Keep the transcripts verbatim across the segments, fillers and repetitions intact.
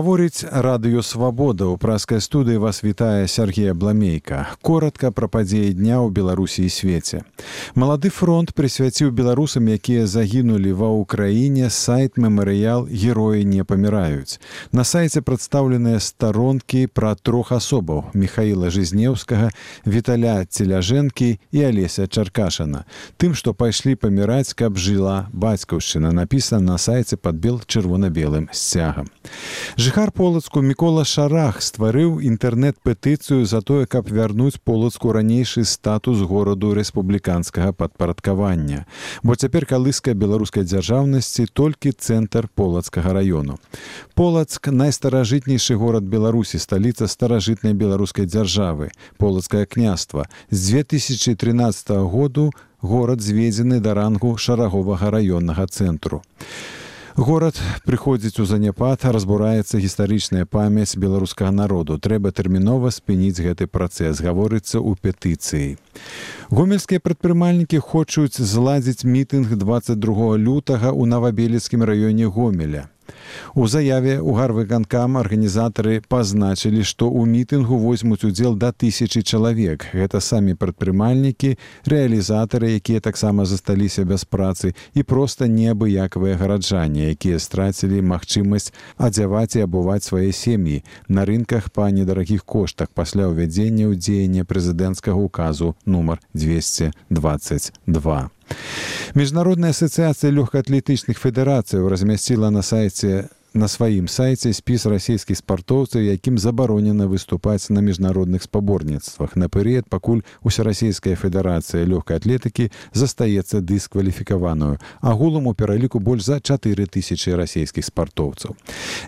Гаворыць радыё «Свабода». У праскай студыі вас вітае Сергей Абламейка. Коротка пра падзеі дня ў Беларусі і свеце. Малады фронт прысвяціў беларусам, якія загінулі ва Ўкраіне, сайт мемарыял «Героі не паміраюць». На сайце прадстаўленыя старонкі пра трох асобаў: Міхаіла Жизнеўскага, Віталя Целяжэнкі і Алеся Чаркашына. Тым, што пайшлі паміраць, каб жыла бацькаўшчына, напісана на сайце пад бел-чырвона-белым сцягам. Жыхар Полацку Мікола Шарах стварыў інтэрнэт-петыцыю за тое, каб вярнуць Полацку ранейшы статус гораду рэспубліканскага падпарадкавання. Бо цяпер калыска беларускай дзяржаўнасці толькі цэнтр Полацкага раёну. Полацк – найстаражытнейшы горад Беларусі, сталіца старажытнай беларускай дзяржавы, Полацкае княства. З дзве тысячы трынаццатага году горад зведзены да рангу шараговага раённага цэнтру. Горад прыходзіць у заняпад, разбураецца гістарычная памяць беларускага народу. Трэба тэрмінова спыніць гэты працэс, гаворыцца ў петыцыі. Гомельскія прадпрымальнікі хочуць зладзіць мітынг дваццаць другога лютага ў Навабелецкім раёне Гомеля. У заяве ў гарвыканкам арганізатары пазначылі, што ў мітынгу возьмуць удзел да тысячы чалавек. Гэта самі прадпрымальнікі, рэалізатары, якія таксама засталіся без працы, і проста неабыякавыя гараджане, якія страцілі магчымасць адзяваць і абуваць свае сем'і на рынках па недарагіх коштах пасля ўвядзення ў дзеянне прэзідэнцкага указу нумар дзвесце дваццаць два. Міжнародная асацыяцыя лёгкаатлетычных федэрацыяў размясціла на сайце на сваім сайце спіс расійскіх спартоўцаў, якім забаронена выступаць на міжнародных спаборніцтвах на перыяд, пакуль Усерасійская федэрацыя лёгкай атлетыкі застаецца дыскваліфікаваную. Агулам у пераліку больш за чатыры тысячы расійскіх спартоўцаў.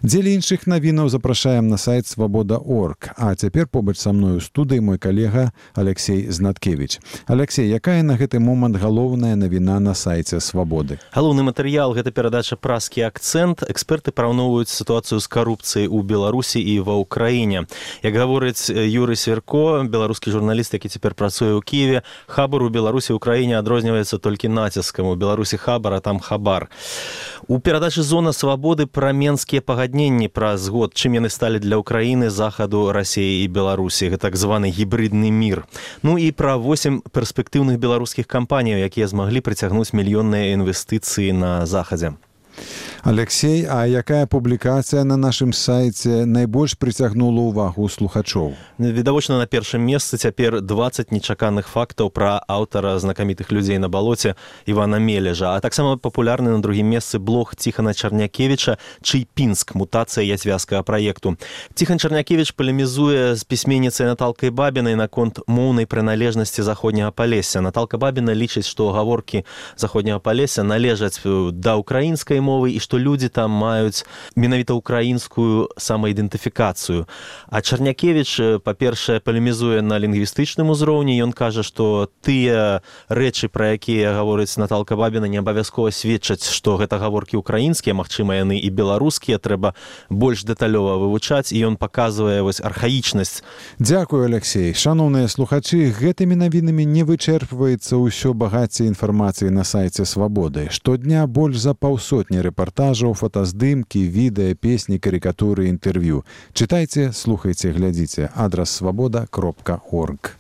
Дзеля іншых навінаў запрашаем на сайт свабода точка орг. А цяпер побач са мной у студыі мой калега Алексей Знаткевич. Алексей, якая на гэты момант галоўная навіна на сайце Свабоды? Галоўны матэрыял – гэта перадача «Праскі акцэнт». Эксперты параўноўваюць сітуацыю з карупцыяй у Беларусі і ва Ўкраіне. Як гаворыць Юрый Сверко, беларускі журналіст, які цяпер працуе ў Кіеве, хабар у Беларусі і Ўкраіне адрозніваецца толькі націскам. У Беларусі хабар, а там хабар. У перадачы «Зона свабоды» пра менскія пагадненні праз год, чым яны сталі для Ўкраіны, Захаду, Расіі і Беларусі. Гэта так званы гібридны мір. Ну і пра восем перспектыўных беларускіх кампаніяў, якія змаглі прыцягнуць мільённыя інвестыцыі на Захадзе. Алексей, а якая публікацыя на нашым сайце найбольш прыцягнула ўвагу слухачоў? Відавочна, на першым месцы цяпер дваццаць нечаканых фактаў пра аўтара знакамітых людзей на балоце Івана Мележа. А таксама папулярны на другім месцы блог Ціхана Чарнякевіча «Чыйпінск. Мутацыя яцвязкага праекту». Ціхан Чарнякевіч палемізуе з пісьменніцай Наталкай Бабінай наконт моўнай прыналежнасці заходняга Палесся. Наталка Бабіна лічыць, што гаворкі заходняга Палесся належаць да ўкраінскай мовы і што людзі там маюць менавіта ўкраінскую самаідэнтыфікацыю. А Чарнякевіч, па-першае, палемізуе на лінгвістычным узроўні. Ён кажа, што тыя рэчы, пра якія гаворыць Наталка Бабіна, не абавязкова сведчаць, што гэта гаворкі ўкраінскія, магчыма, яны і беларускія, трэба больш дэталёва вывучаць, і ён паказвае вось архаічнасць. Дзякую, Алексей. Шаноўныя слухачы, гэтымі навінамі не вычэрпваецца ўсё багацце інфармацыі на сайце Свабоды. Штодня больш за паўсотні рэпартажаў, фотаздымкі, відэа, песні, карыкатуры, інтэрв'ю. Чытайце, слухайце, глядзіце. Адрас свабода кропка орг.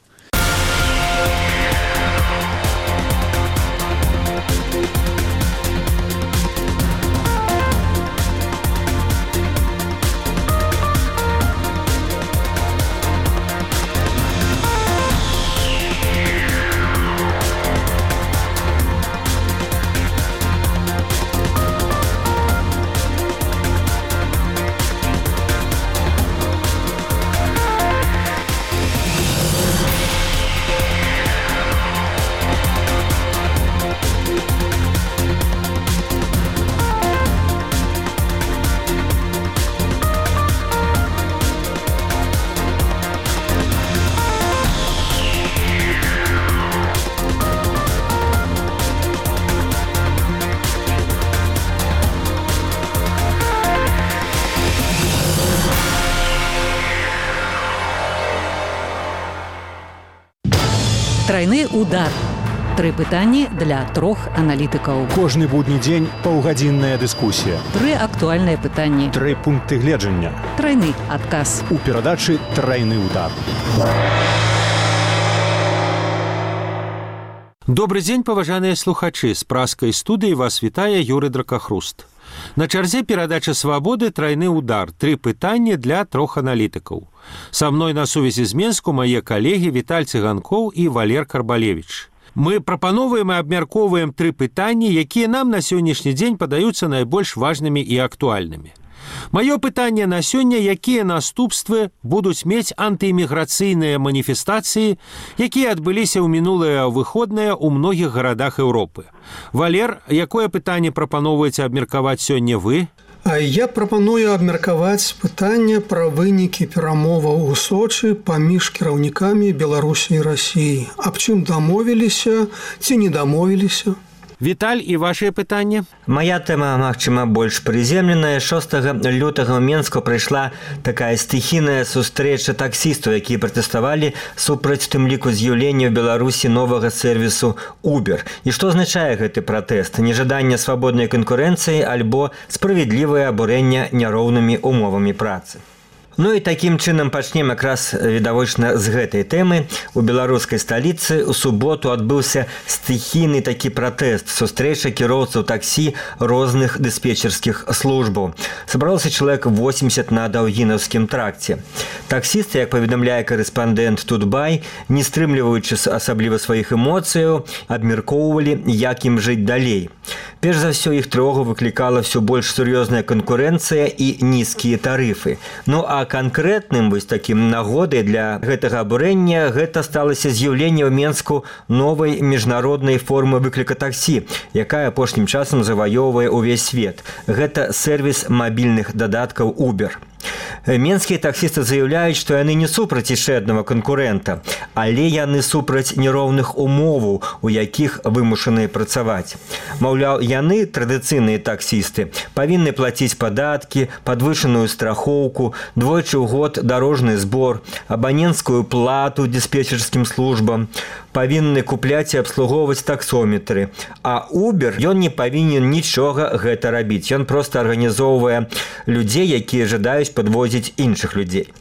Трайны удар. Тры пытанні для трох аналітыкаў. Кожны будні дзень паўгадзінная дыскусія. Тры актуальныя актуальнае пытанне. Тры пункты гледжання. Трайны адказ. У перадачы «Трайны удар». Добрый дзень, паважаныя слухачы. З праскай студыі вас вітае Юрый Дракахруст. На чарзе перадача «Свабоды» «Трайны удар». Тры пытанні для трох аналітыкаў. Са мной на сувязі з Менску мае калегі Віталь Цыганкоў і Валер Карбалевіч. Мы прапановваем і абмяркоўваем тры пытанні, якія нам на сённяшні дзень падаюцца найбольш важнымі і актуальнымі. Маё пытанне на сёння, якія наступствы будуць мець антыэміграцыйныя маніфестацыі, якія адбыліся ў мінулыя выходныя ў многіх гарадах Еўропы. Валер, якое пытанне прапаноўваеце абмеркаваць сёння вы? Я прапаную абмеркаваць пытанне пра вынікі перамоваў у Сочы паміж кіраўнікамі Беларусі і Расіі. Аб чым дамовіліся ці не дамовіліся? Віталь, і вашае пытанне? Моя тэма, магчыма, больш прыземленая. шостага лютага ў Менску прайшла такая стыхійная сустрэча таксістаў, якія пратэставалі супраць тым ліку з'яўлення ў Беларусі новага сэрвісу Uber. І што азначае гэты пратэст? Нежаданне свабоднай канкурэнцыі альбо справядлівае абурэнне няроўнымі умовамі працы? Ну і такім чынам пачнем якраз відавочна з гэтай тэмы. У беларускай сталіцы ў суботу адбыўся стыхійны такі пратэст, сустрэча кіроўцаў таксі розных дыспетчерскіх службаў. Сабралося чалавек восемьдесят на Даўгінаўскім тракце. Таксісты, як паведамляе карэспандэнт Тутбай, не стрымліваючы асабліва сваіх эмоцыяў, абмяркоўвалі, як ім жыць далей. Перш за ўсё, іх трывогу выклікала ўсё больш сур'ёзная канкурэнцыя і нізкія тарыфы. Ну а канкрэтным вось такім нагодай для гэтага абурэння гэта сталася з'яўленне ў Менску новай міжнароднай формы выкліка таксі, якая апошнім часам заваёўвае ўвесь свет. Гэта сэрвіс мабільных дадаткаў Uber. Менскія таксісты заяўляюць, што яны не супраць яшчэ аднаго канкурэнта, але яны супраць нероўных умоваў, у якіх вымушаныя працаваць. Маўляў, яны, традыцыйныя таксісты, павінны плаціць падаткі, падвышаную страхоўку, двойчы ў год дарожны збор, абаненцкую плату дыспетчерскім службам, павінны купляць і абслугоўваць таксометры. А Uber, ён не павінен нічога гэта рабіць. Ён проста арганізоўвае людзей, якія жадаюць падвозіць іншых людзей.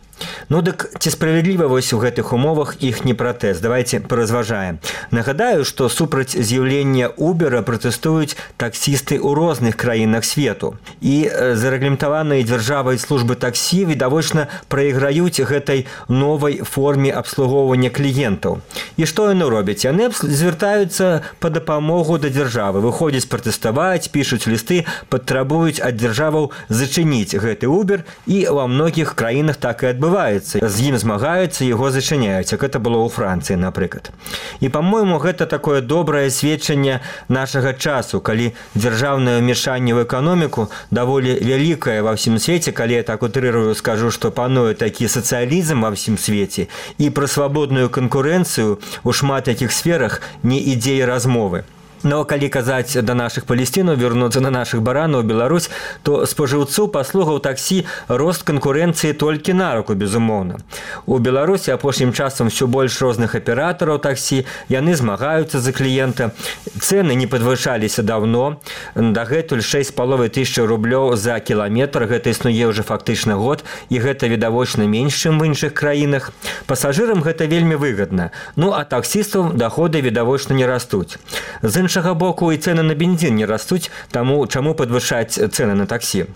Ну дык ці справядліва вось у гэтых умовах іхні пратэст? Давайте паразважаем. Нагадаю, што супраць з'яўлення Uber пратэстуюць таксісты ў розных краінах свету. І зарэгламентаваныя дзяржавай службы таксі відавочна прайграюць гэтай новай форме абслугоўвання кліентаў. І што яны робяць? Яны звяртаюцца па дапамогу да дзяржавы, выходзяць пратэставаць, пішуць лісты, патрабуюць ад дзяржаваў зачыніць гэты Uber, і ва многіх краінах так і адбываецца. З ім змагаюцца, яго зачыняюць, як гэта было ў Францыі, напрыклад. І, па-мойму, гэта такое добрае сведчанне нашага часу, калі дзяржаўнае ўмешанне ў эканоміку даволі вялікае ва ўсім свеце, калі я так утрырую скажу, што пануе такі сацыялізм ва ўсім свеце, і пра свабодную канкурэнцыю ў шмат якіх сферах не ідзе і размовы. Но калі казаць да нашых палесцінаў, вярнуцца на нашых баранаў Беларусь, то спажыўцу паслугаў таксі рост канкурэнцыі толькі на руку, безумоўна. У Беларусі апошнім часам ўсё больш розных аператараў таксі, яны змагаюцца за кліента. Цэны не падвышаліся даўно, дагэтуль шэсць з паловай тысяч рублёў за кіламетр, гэта існуе ўжо фактычна год, і гэта відавочна менш, чым в іншых краінах. Пасажырам гэта вельмі выгадна. Ну а таксістаў даходы відавочна не растуць. З іншага боку, і цэны на бензін не растуць, таму чаму падвышаць цэны на таксі?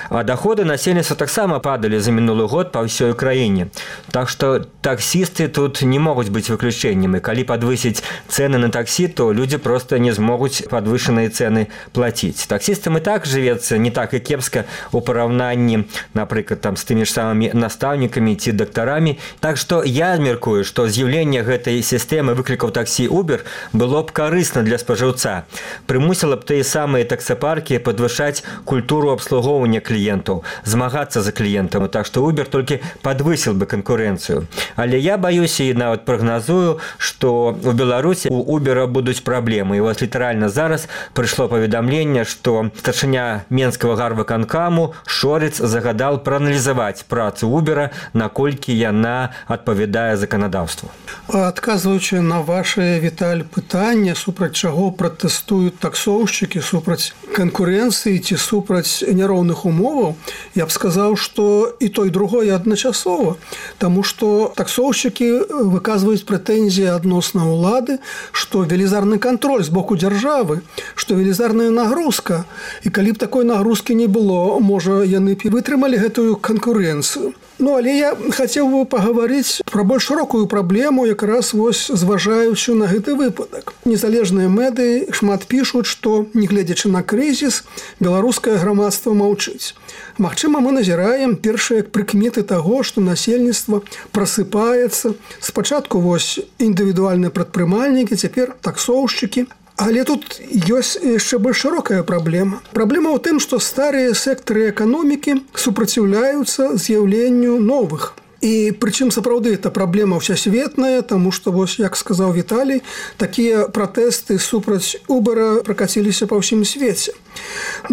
А даходы насельніцтва таксама падалі за мінулы год па ўсёй краіне. Так што таксісты тут не могуць быць выключэннем. І калі падвысіць цэны на таксі, то людзі проста не змогуць падвышаныя цэны плаціць. Таксістам і так жывецца не так і кепска у параўнанні, напрыклад, там, з тымі ж самымі настаўнікамі ці дактарамі. Так што я мяркую, што з'яўленне гэтай сістэмы выклікаў таксі Uber было б карысна для спажыўца. Прымусіла б тыя самыя таксапаркі падвышаць культуру абслугоўвання кліентаў, змагацца за кліентам, так што Uber толькі падвысіл бы канкурэнцыю. Але я баюся і нават прагназую, што у Беларусі у Uber будуць праблемы. І вось літаральна зараз прыйшло паведамленне, што старшыня Менскага гарвыканкаму Шорыц загадал прааналізаваць працу Uber, наколькі яна адпавядае заканадаўству. Адказваючы на ваше, Віталь, пытанне, супраць чаго чаму пратэстуюць таксоўшчыкі супраць канкурэнцыі ці супраць няроўных умоваў, я б сказаў, што і то, і другое адначасова, таму што таксоўшчыкі выказваюць прэтэнзіі адносна ўлады, што велізарны кантроль з боку дзяржавы, што велізарная нагрузка, і калі б такой нагрузкі не было, можа, яны б вытрымалі гэтую канкурэнцыю. Ну, але я хацеў бы пагаварыць пра больш шырокую праблему, якраз вось зважаючы на гэты выпадак. Незалежныя медыі шмат пішуць, што, нягледзячы на крызіс, беларускае грамадства маўчыць. Магчыма, мы назіраем першыя прыкметы таго, што насельніцтва прасыпаецца. Спачатку вось індывідуальныя прадпрымальнікі, цяпер таксоўшчыкі. Але тут ёсць яшчэ больш шырокая праблема. Праблема ў тым, што старыя сектары эканомікі супраціўляюцца з'яўленню новых. І прычым сапраўды это праблема ўсясветная, таму што, вось, як сказаў Віталій, такія пратэсты супраць Убера пракаціліся па ўсім свеце.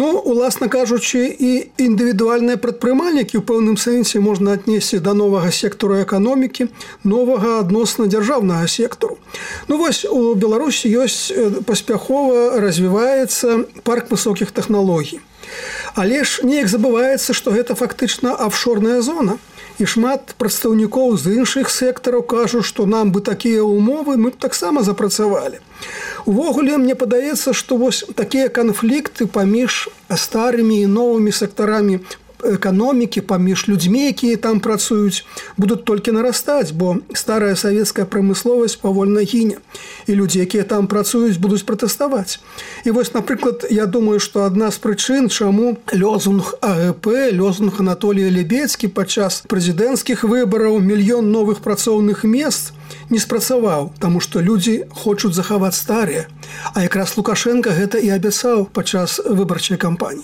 Ну, уласна кажучы, і індывідуальныя прадпрымальнікі ў пэўным сэнсе можна аднесці да новага сектару эканомікі, новага адносна дзяржаўнага сектару. Ну, вось, у Беларусі ёсць паспяхова развіваецца парк высокіх тэхналогій. Але ж неяк забываецца, што гэта фактычна афшорная зона. І шмат прадстаўнікоў з іншых сектараў кажуць, што нам бы такія ўмовы мы б таксама запрацавалі. Увогуле, мне падаецца, што вось такія канфлікты паміж старымі і новымі сектарамі эканомікі, паміж людзьмі, якія там працуюць, будуць толькі нарастаць, бо старая савецкая прамысловасць павольна гіне. І людзі, якія там працуюць, будуць пратэставаць. І вось, напрыклад, я думаю, што адна з прычын, чаму лозунг АГП, лозунг Анатолія Лебедзкі падчас прэзідэнцкіх выбараў мільён новых працоўных мест не спрацаваў, таму што людзі хочуць захаваць старыя. А якраз Лукашенка гэта і абяцаў падчас выбарчай кампаніі.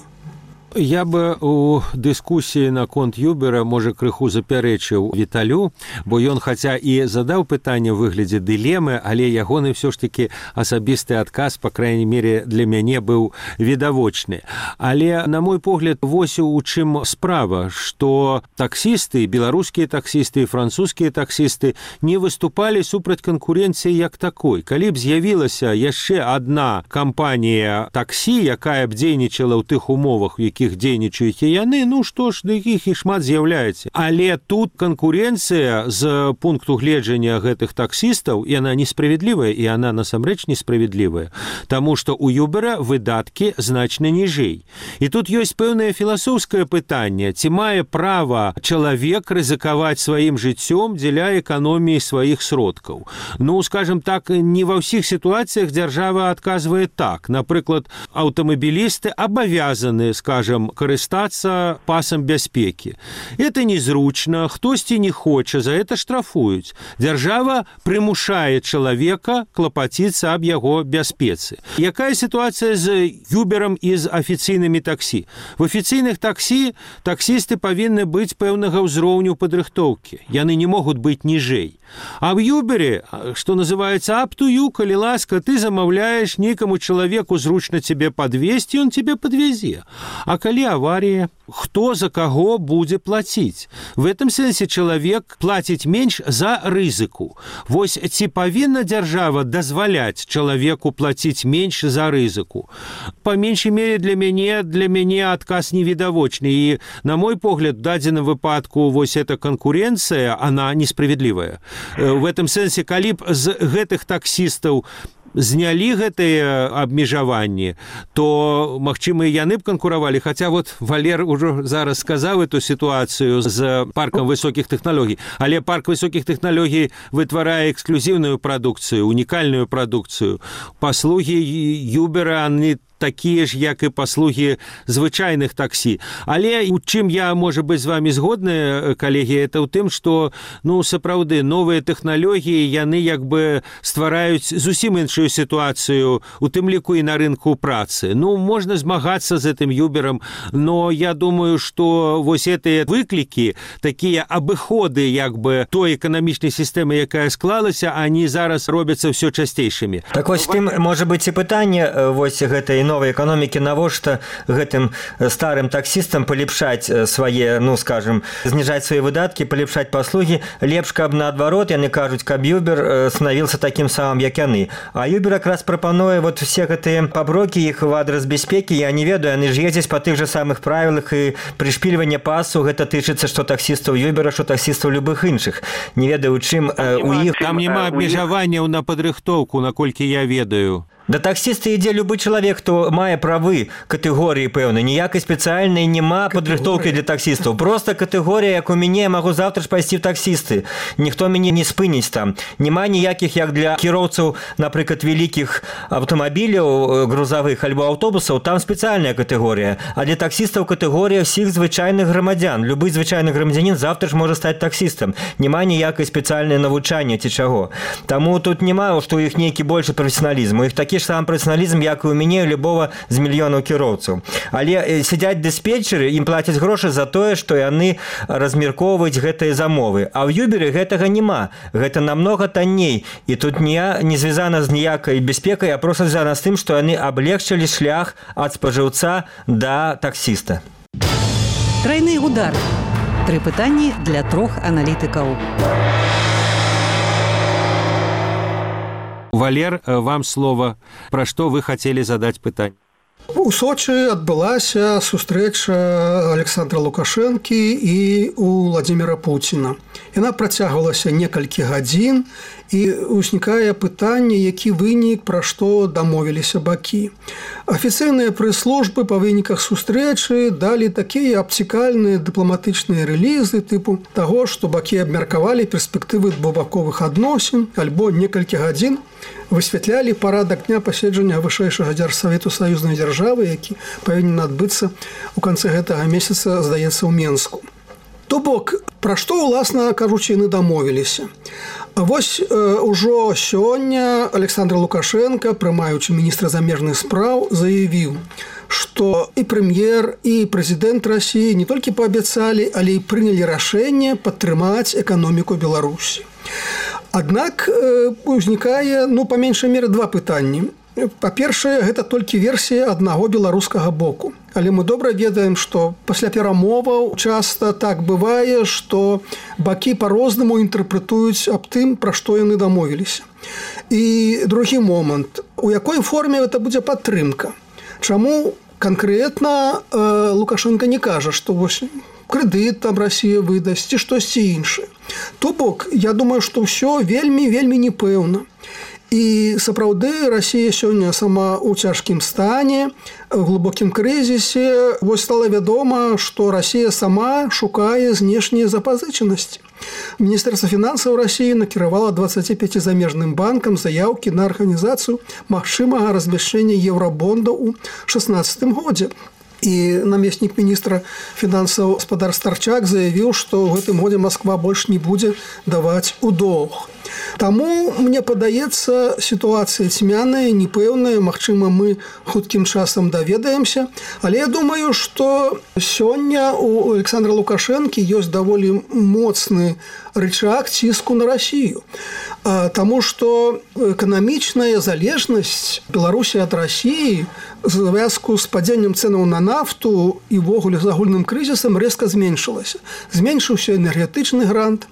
Я бы у дыскусіі наконт Юбера, можа, крыху запярэчыў Віталю, бо ён хаця і задаў пытанне ў выглядзе дылемы, але ягоны ўсё ж такі асабісты адказ, па крайняй мере, для мяне быў відавочны. Але, на мой погляд, вось у чым справа, што таксісты, беларускія таксісты і французскія таксісты не выступалі супраць канкурэнцыі як такой. Калі б з'явілася яшчэ адна кампанія таксі, якая б дзейнічала ў тых умовах, у якіх дзейнічаюць і яны, ну што ж, да якіх і шмат з'яўляецца. Але тут канкурэнцыя з пункту гледжання гэтых таксістаў, яна несправядлівая, і яна насамрэч несправядлівая, таму што ў Юбера выдаткі значна ніжэй. І тут ёсць пэўнае філасофскае пытанне, ці мае права чалавек рызыкаваць сваім жыццём дзеля эканоміі сваіх сродкаў. Ну, скажем так, не ва ўсіх сітуацыях дзяржава адказвае так. Напрыклад, аўтамабілісты абавязаны, скажем, карыстацца пасам бяспекі. Это незручна, хтосьці не хоча, за это штрафуюць. Дзяржава прымушае чалавека клапаціцца аб яго бяспецы. Якая сітуацыя з Юберам і з афіцыйнымі таксі? В афіцыйных таксі таксісты павінны быць пэўнага ўзроўню падрыхтоўкі. Яны не могуць быць ніжэй. А в Юбере, што называецца up to you, калі ласка, ты замаўляеш нейкаму чалавеку зручна цябе падвезці, ён цябе падвезе. А калі аварія, хто за каго будзе плаціць? В этом сэнсе чалавек плаціць менш за рызыку. Вось ці павінна дзяржава дазваляць чалавеку плаціць менш за рызыку? Па меншай мере для мяне, для мяне адказ невідавочны. І, на мой погляд, в дадзеным выпадку вось эта канкурэнцыя, она несправядлівая. В этом сэнсе, калі б з гэтых таксістаў знялі гэтыя абмежаванні, то, магчыма, і яны б канкуравалі. Хаця вот Валер ўжо зараз сказаў эту сітуацыю з паркам высокіх тэхналогій. Але парк высокіх тэхналогій вытварае эксклюзіўную прадукцыю, унікальную прадукцыю. Паслугі Юбера, они такія ж, як і паслугі звычайных таксі. Але у чым я, можа быць, з вами згодны, калегі, это ў тым, што, ну, сапраўды, новыя тэхналогіі, яны як бы ствараюць зусім іншую сітуацыю, у тым ліку і на рынку працы. Ну, можна змагацца з гэтым Юберам, но я думаю, што вось гэтыя выклікі, такія абыходы, як бы, той эканамічнай сістэмы, якая склалася, они зараз робяцца ўсё часцейшымі. Так вось тым, можа быць, і пытанне вось гэтай новой экономики, навошта гэтым старым таксистам полепшать свае, ну скажем, снижать свои выдатки, полепшать послуги, лепш, каб наадварот, яны кажуць, каб Uber становился таким самым, як яны. А Uber как раз пропонуе вот все гэтыя паброки их в адрес бяспекі, я не ведаю, яны ж ездзяць по тых же самых правилах, и пришпиливание пасу гэта тычыцца что таксистаў Uber, что таксистаў любых іншых. Не ведаю, чым э, у іх... Там няма абмежаванняў на падрыхтоўку, наколькі я ведаю. Да таксісты ідзе любы чалавек, хто мае правы катэгорыі пэўнай. Ніякай спецыяльнай няма падрыхтоўкі для таксістаў. Проста катэгорія, як у мяне, я магу завтра ж пайсці в таксісты. Ніхто мяне не спыніць там. Няма ніякіх, як для кіроўцаў, напрыклад, вялікіх аўтамабіляў грузавых альбо аўтобусаў, там спецыяльная катэгорія. А для таксістаў катэгорія ўсіх звычайных грамадзян. Любы звычайны грамадзянін завтра ж можа стаць таксістам. Няма ніякай спецыяльнай навучання ці чаго. Таму тут няма, што ў іх нейкі большы прафесіяналізм. У іх такі ж сам прафесіяналізм, як і у мяне, любого з мільёнаў кіроўцаў. Але сядзяць дыспетчеры, ім плацяць грошы за тое, што яны размяркоўваюць гэтыя замовы. А ў Юберы гэтага няма. Гэта намнога танней. І тут не, не звязана з ніякай бяспекай, а проста звязана з тым, што яны аблегчылі шлях ад спажыўца да таксіста. Трайны удар. Тры пытанні для трох аналітыкаў. Валер, вам слово. Пра што вы хацелі задаць пытанне? У Сочы адбылася сустрэча Александра Лукашэнкі і у Владимира Путіна. Яна працягвалася некалькі гадзін, і ўзнікае пытанне, які вынік, пра што дамовіліся бакі. Афіцыйныя прэс-службы па выніках сустрэчы далі такія абцікальныя дыпламатычныя рэлізы тыпу таго, што бакі абмеркавалі перспектывы двухбаковых адносін, альбо некалькі гадзін высвятлялі парадак дня паседжання вышэйшага дзяржсавету саюзнай дзяржавы, які павінен адбыцца ў канцы гэтага месяца, здаецца, ў Менску. То бок, пра што, уласна кажучы, яны дамовіліся. А вось э, ужо сёння Александр Лукашенко, прымаючы міністра замежных спраў, заявіў, што і прэм'ер, і прэзідэнт Расіі не толькі паабяцалі, але і прынялі рашэнне падтрымаць эканоміку Беларусі. Аднак э, узнікае, ну, па меншай меры два пытанні. Па-першае, гэта толькі версія аднаго беларускага боку. Але мы добра ведаем, што пасля перамоваў часта так бывае, што бакі па-рознаму інтэрпрэтуюць аб тым, пра што яны дамовіліся. І другі момант. У якой форме гэта будзе падтрымка? Чаму канкрэтна э, Лукашенко не кажа, што вось крэдыт там Расія выдасць ці штосьці іншае. То бок, я думаю, што ўсё вельмі-вельмі непэўна. І сапраўды Расія сёння сама ў цяжкім стане, в глыбокім крызісе. Вось стала вядома, што Расія сама шукае знешнія запазычанасці. Міністэрства фінансаў Расіі накіравала дваццаці пяці замежным банкам заяўкі на арганізацыю магчымага размяшчэння еўрабонда ў шаснаццатым годзе. І намеснік міністра фінансаў гаспадар Старчак заявіў, што ў гэтым годзе Масква больш не будзе даваць у доўг. Таму, мне падаецца, сітуацыя цьмяная, непэўная, магчыма, мы хуткім часам даведаемся, але я думаю, што сёння у Александра Лукашэнкі ёсць даволі моцны рычаг ціску на Расію. Таму што эканамічная залежнасць Беларусі ад Расіі в звязку з падзеннем цэнаў на нафту і ввогуле з агульным крызісам рэзка зменшылася. Зменшыўся энергетычны грант.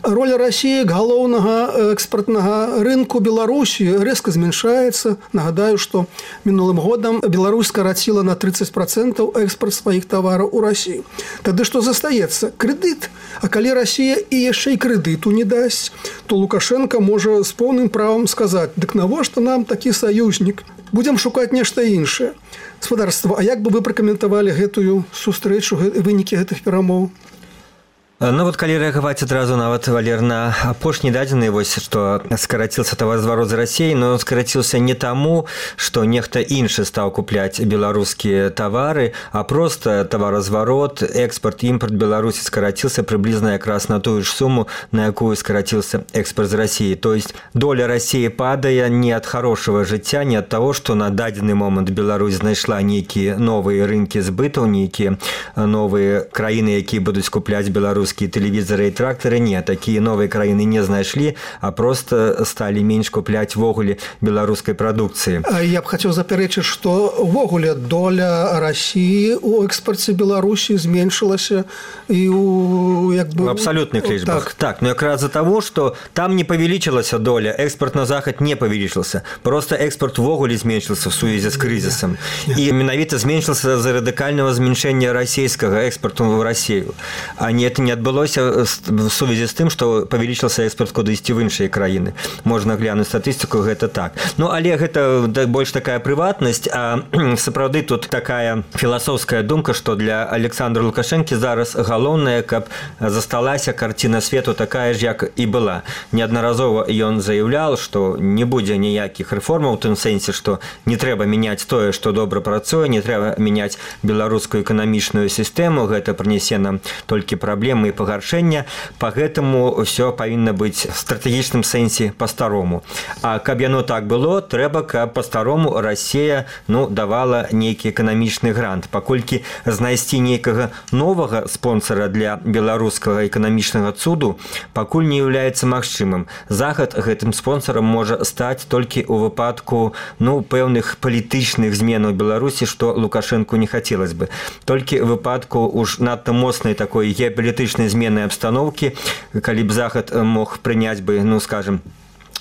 Роля Расіі як галоўнага экспартнага рынку Беларусі рэзка зменшаецца. Нагадаю, што мінулым годам Беларусь скараціла на трыццаць працэнтаў экспарт сваіх тавараў у Расію. Тады што застаецца? Крэдыт. А калі Расія і яшчэ і крэдыту не дасць, то Лукашенко можа з поўным правам сказаць: дык навошта нам такі саюзнік? Будзем шукаць нешта іншае. Гаспадарства, а як бы вы пракаментавалі гэтую сустрэчу, вынікі гэтых перамоў? Ну вот калі рэагаваць адразу нават, Валер, на апошні дадзены, вось што скараціўся таваразварот з Расіяй, но скараціўся не таму, што нехта іншы стаў купляць беларускія тавары, а проста таваразварот, экспарт, імпорт Беларусі скараціўся прыблізна якраз на тую ж суму, на якую скараціўся экспорт з Расіі. То есть доля Расіі падае не ад хорошага жыцця, не ад таго, што на дадзены момант Беларусь знайшла нейкія новыя рынкі збытаў, нейкія новыя краіны, якія будуць купляць беларускія беларускія тэлевізары і трактары не, такія новыя краіны не знайшлі, а просто сталі менш купляць ввогуле беларускай прадукцыі. Я б хацеў запярэчыць, што ўвогуле доля России у экспорце Беларуси зменшилась и у, як бы, в абсолютных лічбах. Так, так, но якраз за того, что там не повеличилась доля, экспорт на Захад не повеличился. Просто экспорт ввогуле зменшился в связи с кризисом. И менавіта зменшился за радикального зменшения российского экспорта в Россию. А не, это не отбылось в связи с тем, что повеличился экспорт кудысьці в іншыя краіны. Можно глянуть статистику, это так. Ну, але это больше такая приватность, а сапраўды тут такая філасофская думка, что для Александра Лукашенко зараз галоўнае, каб засталася карціна свету такая ж, як і была. Неаднаразова ён заяўлял, что не будзе ніякіх рэформаў у тым сэнсе, что не трэба мяняць тое, што добра працуе, не трэба мяняць беларускую эканамічную сістэму, гэта прынясе нам толькі праблемы і пагаршэння, па гэтаму ўсё павінна быць в стратэгічным сэнсе па-старому. А каб яно так было, трэба, каб па-старому Россия, ну, давала нейкі эканамічны грант. Паколькі знайсці нейкага новага спонсора для беларускага эканамічнага цуду пакуль не являецца магчымым. Захад гэтым спонсорам можа стаць толькі ў выпадку, ну, пэўных палітычных зменаў Беларусі, што Лукашенку не хацелось бы. Толькі ў выпадку уж надта моцнай такой геапалітычнай змены абстаноўкі, калі б Захад мог прыняць бы, ну, скажем,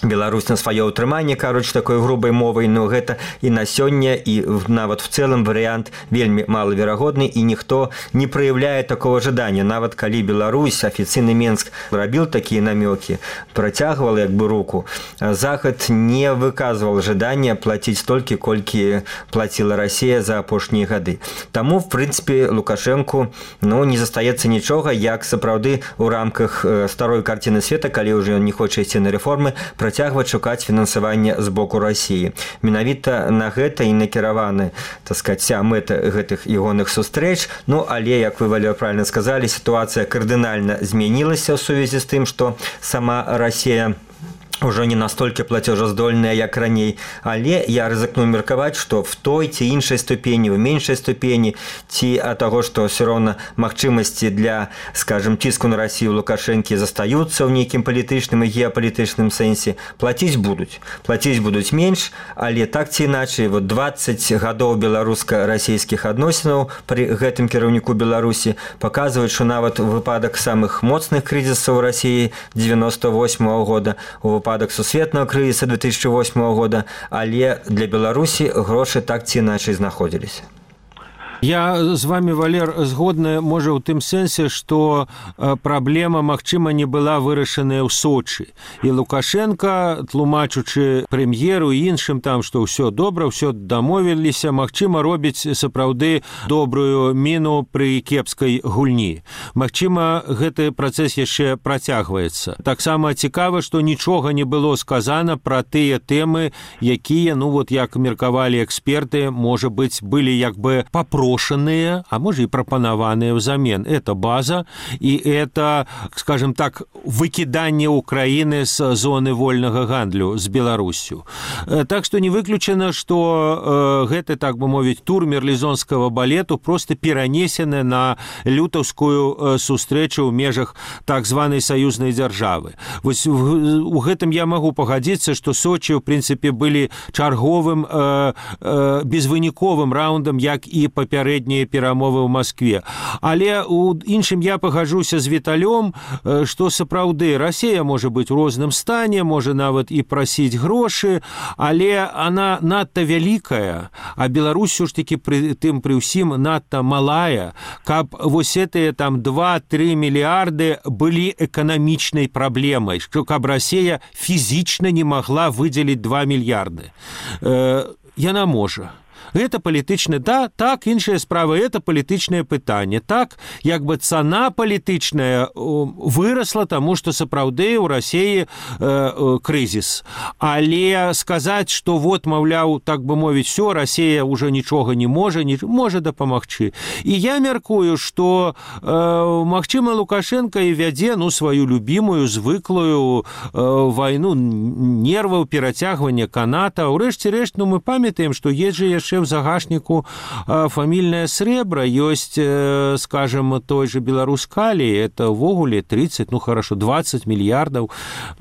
Беларусь на свое утрыманне, короче, такой грубой мовой, но гэта и на сёння, и нават в целом вариант вельмі малаверагодны, и никто не проявляет такого ожидания. Нават калі Беларусь, официальный Минск робил такие намеки, протягивал як бы руку, Захад не выказывал ожидания платить столько, колькі платила Россия за апошнія гады. Таму, в принципе, Лукашенку, ну, не застаецца нічога, як сапраўды у рамках старой картины света, калі уже он не хоча ісці на реформы, працягваць шукаць фінансаванне з боку России. Менавіта на гэта і накіраваны, так сказать, вся мэта гэтых ягоных сустрэч. Ну, але, як вы, Валер, правильно сказали, ситуация кардынальна змянілася ў сувязі з тым, што сама Россия уже не настолько платежездольная, як раней, але я рызыкну меркаваць, што в той ці іншай ступені, в меншай ступені, ці ад таго, што ўсё роўна магчымасці для, скажем, ціску на Россию Лукашэнкі застаюцца ў нейкім палітычным і геапалітычным сэнсе, плаціць будуць. Плаціць будуць менш, але так ці іначай, вот двадцать гадоў беларуска-расійскіх адносінаў пры гэтым кіраўніку Беларусі паказваюць, што нават выпадак самых моцных крызісаў России девяносто восьмого года, у выпадак сусветнага крызіса две тысячи восьмого года, але для Беларусі грошы так ці іначай знаходзіліся. Я з вами, Валер, згодны, можа, у тым сэнсе, што праблема, магчыма, не была вырашаная ў Сочы. І Лукашенко, тлумачучы прэм'еру і іншым там, што ўсё добра, ўсё дамовіліся, магчыма, робіць сапраўды добрую міну пры кепскай гульні. Магчыма, гэты працэс яшчэ працягваецца. Таксама цікава, што нічога не было сказана пра тыя тэмы, якія, ну вот, як меркавалі эксперты, можа быць, былі як бы папрошаны, а может и пропонованные взамен. Это база, и это, скажем так, выкидание Украины с зоны вольного гандлю с Беларусью. Так что не выключено, что э, это, так бы мовить, тур мерлізонского балету просто перенесены на лютовскую э, сустрэчу в межах так званой союзной державы. Вот у гэтым я могу погодиться, что Сочи, в принципе, были чарговым э, э, безвыніковым раундом, як и по папярэднія перамовы ў Маскве. Але у іншым я пагажуся з Віталём, што сапраўды Расія можа быць у розным стане, можа нават і прасіць грошы, але она надта вялікая, а Беларусь ж такі пры тым пры ўсім надта малая, каб вось гэтыя там два-тры мільярды былі эканамічнай праблемай, што каб Расія фізічна не магла выдзеліць два мільярды. Э, яна можа. Это палітычны, да, так, іншая справа, это палітычнае пытанне. Так, як бы цана палітычная вырасла, таму што сапраўды ў Расіі э, э, крызіс. Але сказаць, што вот, маўляў, так бы мовіць, всё, Расія ўжо нічога не можа, не можа дапамагчы. І я мяркую, што э, магчыма, Лукашенко і вядзе, ну, сваю любімую, звыклую э, вайну нерваў, перацягвання каната. Урэшце рэшт, ну, мы памятаем, што есть жа яшчэ яшчэ ў загашніку фамільнае срэбра, ёсць, скажем, той же Беларускалі, это ўвогуле тридцать, ну хорошо, двадцать мільярдаў,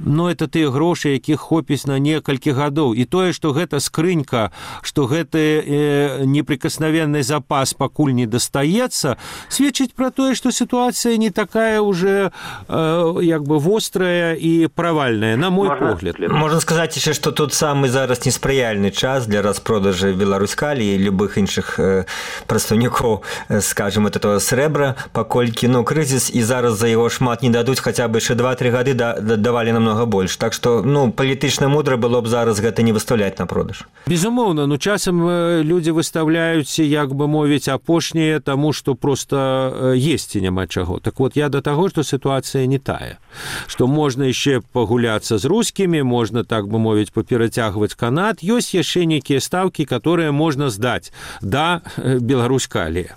но это тыя грошы, якіх хопіць на некалькі гадоў. І тое, што гэта скрынька, што гэты э, неприкосновенный запас пакуль не дастаецца, сведчыць пра тое, што сітуацыя не такая уже э, як бы вострая і правальная, на мой можно, погляд. Можна сказаць яшчэ, што тут самы зараз неспрыяльны час для распродажы Беларускалі і любых іншых э, прадстаўнікоў, э, скажем, этого срэбра, паколькі, ну, крызіс, і зараз за яго шмат не дадуць, хаця бы яшчэ два-тры гады да, да, давалі намного больш. Так што, ну, палітычна мудра было б зараз гэта не выставляць на продаж. Безумоўна, ну, часам людзі выставляюць, як бы мовіць, апошнія, таму што проста есці няма чаго. Так вот, я да таго, што сітуацыя не тая, што можна яшчэ пагуляцца з рускімі, можна, так бы мовіць, паперацягваць канат, ёсць яшчэ нейкія стаўкі, которые можна здаць да Беларускалі.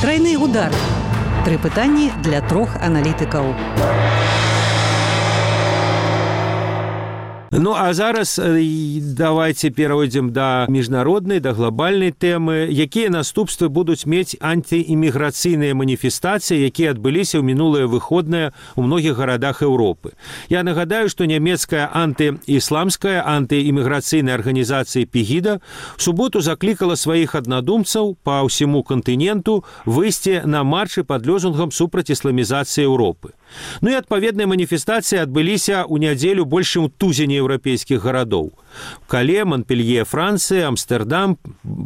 Трайны удар. Тры пытанні для трох аналітыкаў. Ну, а зараз давайте перайдзем да міжнароднай, да глобальнай тэмы, якія наступствы будуць мець антыіміграцыйныя маніфестацыі, якія адбыліся ў мінулыя выходныя ў многіх гарадах Еўропы. Я нагадаю, што нямецкая антыісламская антыіміграцыйная арганізацыя Пегіда в суботу заклікала сваіх аднадумцаў па ўсяму кантыненту выйсці на маршы пад лозунгам супраць ісламізацыі Еўропы. Ну і адпаведныя маніфестацыі адбыліся ў нядзелю больш чым у тузіне еўрапейскіх гарадоў. Кале, Монпелье, Францыя, Амстердам,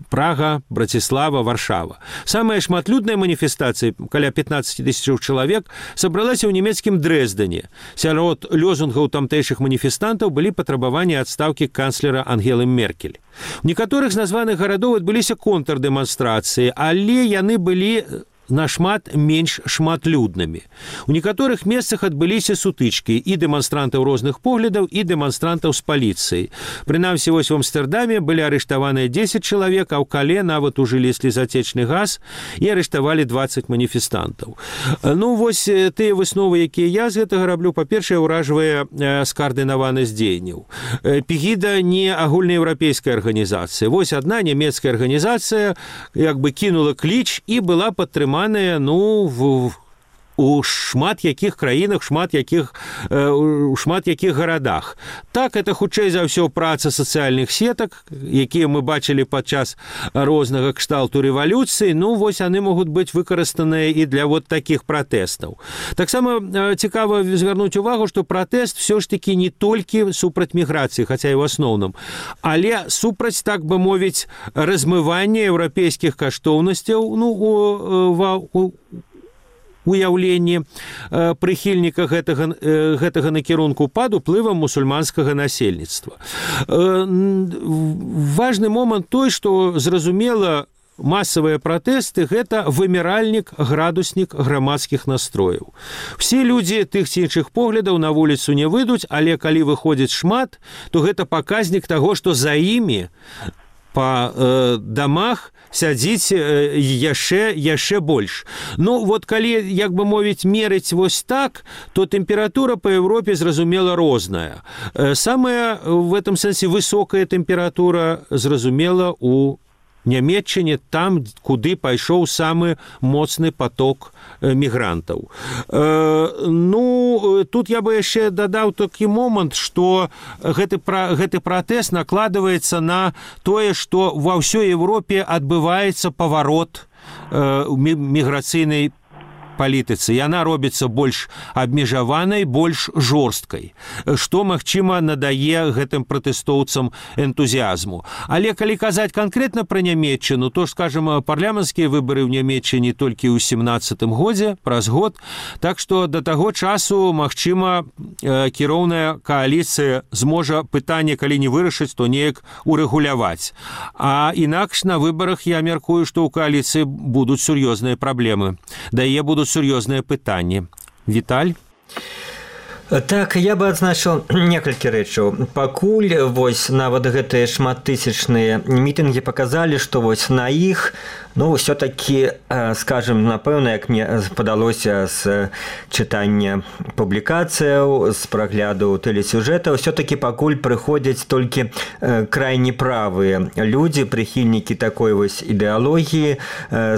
Прага, Братислава, Варшава. Самая шматлюдная маніфестацыя, каля пятнадцать тысяч чалавек, сабралася ў нямецкім Дрэздане. Сярод лозунгаў тамтэйшых маніфестантаў былі патрабаванні адстаўкі канцлера Ангелы Меркель. У некаторых з названых гарадоў адбыліся контрдэманстрацыі, але яны былі нашмат менш шматлюднымі. У некаторых месцах адбыліся сутычкі і дэманстрантаў розных поглядаў, і дэманстрантаў з паліцыяй. Прынамсі, вось у Амстердаме былі арыштаваныя дзесяць чалавек, а ў Кале нават ужылі слезацечны газ і арыштавалі двадцать маніфестантаў. Ну, вось тыя высновы, якія я з гэтага раблю, па-першае, ўражвае скаардынаванасць дзеянняў. Пегіда не агульнаеўрапейская арганізацыя. Вось адна нямецкая арганізацыя як бы кінула кліч і была падтрымана ну, в, у шмат якіх краінах, шмат якіх, у шмат якіх гарадах. Так, это хутчэй за ўсё праца сацыяльных сетак, якія мы бачылі падчас рознага кшталту рэвалюцыі, ну, вось яны могуць быць выкарыстаныя і для вот такіх пратэстаў. Таксама цікава звярнуць увагу, што пратэст ўсё ж такі не толькі супраць міграцыі, хаця і ў асноўным, але супраць, так бы мовіць, размывання еўрапейскіх каштоўнасцяў, ну, у, у уяўленні прыхільніка гэтага, гэтага накірунку пад уплывам мусульманскага насельніцтва. Важны момант той, што зразумела, масавыя пратэсты – гэта выміральнік, градуснік грамадскіх настрояў. Все людзі тых ці іншых поглядаў на вуліцу не выйдуць, але калі выходзіць шмат, то гэта паказнік таго, што за імі па э, дамах сядзіць э, яшчэ, яшчэ больш. Ну, вот калі, як бы мовіць, мерыць вось так, то тэмпература па Еўропе, зразумела, розная. Э, самая, в этом сэнсе, высокая тэмпература, зразумела, у Нямецчыне, там, куды пайшоў самы моцны поток мігрантаў. Э, ну, тут я бы яшчэ дадаў такі момант, што гэты, пра, гэты пратэст накладваецца на тое, што ва ўсёй Еўропе адбываецца паварот э, міграцыйнай палітыцы. Яна робіцца больш абмежаванай, больш жорсткай, што, магчыма, надае гэтым пратэстоўцам энтузіазму. Але калі казаць канкрэтна пра Нямецчыну, то, скажем, парламенцкія выбары ў Нямецчыне толькі ў сямнаццатым годзе, праз год, так што да таго часу, магчыма, кіроўная кааліцыя зможа пытанне, калі не вырашыць, то неяк урэгуляваць. А інакш на выбарах я мяркую, што ў кааліцыі будуць сур'ёзныя праблемы. Да яе будуць сур'ёзныя пытанні. Віталь? Так, я бы адзначыў некалькі рэчаў. Пакуль вось нават гэтыя шматтысячныя мітынгі паказалі, што вось на іх Ну, все-таки, скажем, напэўна, як мне падалося з чытання публікацыяў, з прагляду тэлесюжэтаў, все-таки пакуль прыходзяць толькі крайне правыя людзі, прыхільнікі такой вось ідэалогіі.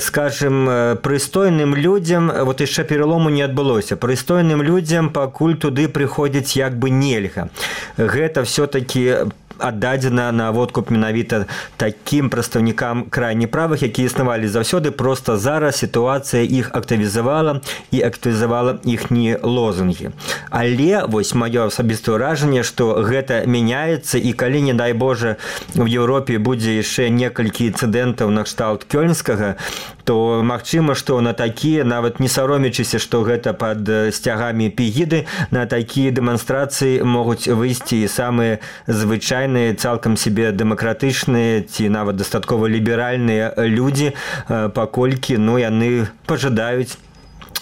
Скажем, прыстойным людзям, вот яшчэ пералому не адбылося, прыстойным людзям пакуль туды прыходзіць як бы нельга. Гэта все-таки аддадзена на водкуп менавіта такім прадстаўнікам крайне правых, якія існавалі заўсёды, просто зараз сітуацыя іх актывізавала і актывізавала іхнія лозунгі. Але вось маё асабістае ўражанне, што гэта мяняецца, і калі, не дай Божа, в Еўропе будзе яшчэ некалькі інцыдэнтаў накшталт кёльнскага, то магчыма, што на такія, нават не саромячыся, што гэта пад сцягамі пегіды, на такія дэманстрацыі могуць выйсці і самыя звычайныя, цалкам себе дэмакратычныя ці нават дастаткова ліберальныя людзі, паколькі, ну, яны пажадаюць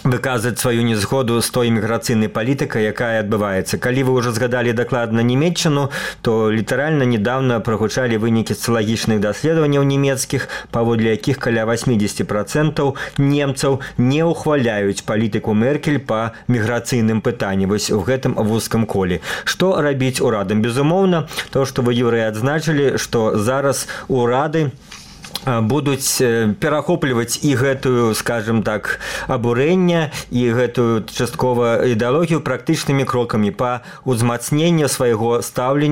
выказаць сваю незгоду з той міграцыйнай палітыкай, якая адбываецца. Калі вы ўжо згадалі дакладна Нямецчыну, то літаральна недавно прагучалі вынікі сацыялагічных даследаванняў нямецкіх, паводле якіх каля восемьдесят процентов немцаў не ўхваляюць палітыку Меркель па міграцыйным пытанні, вось у гэтым вузкам коле. Што рабіць урадам? Безумоўна, то, што вы, Юрый, адзначылі, што зараз урады будуць перахопліваць і гэтую, скажем так, абурэнне і гэтую часткова ідэалогію практычнымі крокамі па ўзмацненню свайго стаўлення